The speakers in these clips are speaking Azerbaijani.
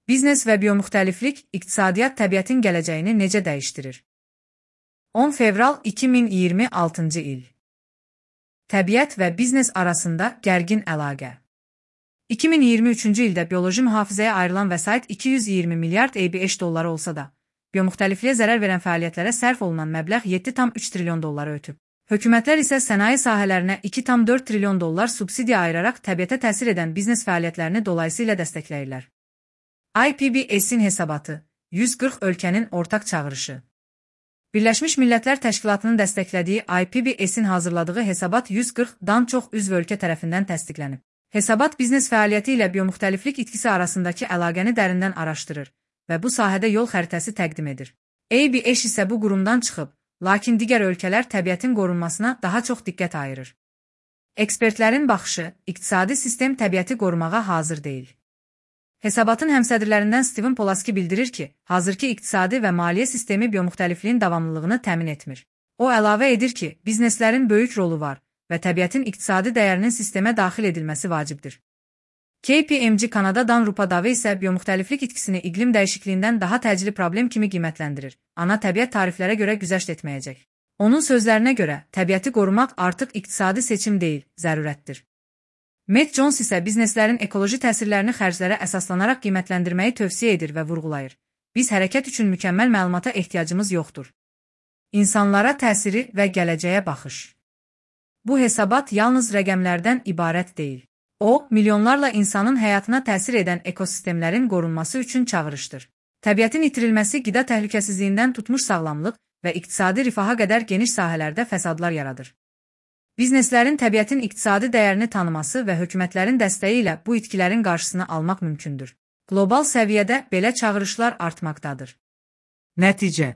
Biznes və biomüxtəliflik iqtisadiyyat təbiətin gələcəyini necə dəyişdirir? 10 fevral 2026-cı il. Təbiət və biznes arasında gərgin əlaqə. 2023-cü ildə bioloji mühafizəyə ayrılan vəsait 220 milyard $5 olsa da, biomüxtəlifliyə zərər verən fəaliyyətlərə sərf olunan məbləğ 7,3 trilyon dolları ötüb. Hökumətlər isə sənaye sahələrinə 2,4 trilyon dollar subsidiya ayıraraq təbiətə təsir edən biznes fəaliyyətlərini dolayısıyla dəstəkləyirlər. IPBES-in hesabatı, 140 ölkənin ortaq çağırışı. Birləşmiş Millətlər Təşkilatının dəstəklədiyi IPBES-in hazırladığı hesabat 140-dan çox üzv ölkə tərəfindən təsdiqlənib. Hesabat biznes fəaliyyəti ilə biomüxtəliflik itkisi arasındakı əlaqəni dərindən araşdırır və bu sahədə yol xəritəsi təqdim edir. ABS isə bu qurumdan çıxıb, lakin digər ölkələr təbiətin qorunmasına daha çox diqqət ayırır. Ekspertlərin baxışı, iqtisadi sistem təbiəti qorumağa hazır deyil. Hesabatın həmsədrlərindən Steven Polaski bildirir ki, hazırki iqtisadi və maliyyə sistemi biomüxtəlifliyin davamlılığını təmin etmir. O əlavə edir ki, bizneslərin böyük rolu var və təbiətin iqtisadi dəyərinin sistemə daxil edilməsi vacibdir. KPMG Kanadadan Rupa Dave isə biomüxtəliflik itkisini iqlim dəyişikliyindən daha təcili problem kimi qiymətləndirir. Ana təbiət tariflərə görə güzəşt etməyəcək. Onun sözlərinə görə, təbiəti qorumaq artıq iqtisadi seçim deyil, zərurətdir. Matt Jones isə bizneslərin ekoloji təsirlərini xərclərə əsaslanaraq qiymətləndirməyi tövsiyə edir və vurğulayır. Biz hərəkət üçün mükəmməl məlumata ehtiyacımız yoxdur. İnsanlara təsiri və gələcəyə baxış. Bu hesabat yalnız rəqəmlərdən ibarət deyil. O, milyonlarla insanın həyatına təsir edən ekosistemlərin qorunması üçün çağırışdır. Təbiətin itirilməsi qida təhlükəsizliyindən tutmuş sağlamlıq və iqtisadi rifaha qədər geniş sahələrdə fəsadlar yaradır. Bizneslərin təbiətin iqtisadi dəyərini tanıması və hökumətlərin dəstəyi ilə bu itkilərin qarşısını almaq mümkündür. Qlobal səviyyədə belə çağırışlar artmaqdadır. Nəticə: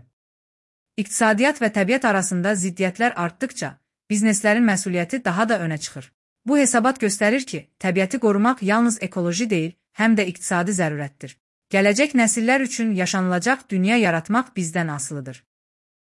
İqtisadiyyat və təbiət arasında ziddiyyətlər artdıqca, bizneslərin məsuliyyəti daha da önə çıxır. Bu hesabat göstərir ki, təbiəti qorumaq yalnız ekoloji deyil, həm də iqtisadi zərurətdir. Gələcək nəsillər üçün yaşanılacaq dünya yaratmaq bizdən asılıdır.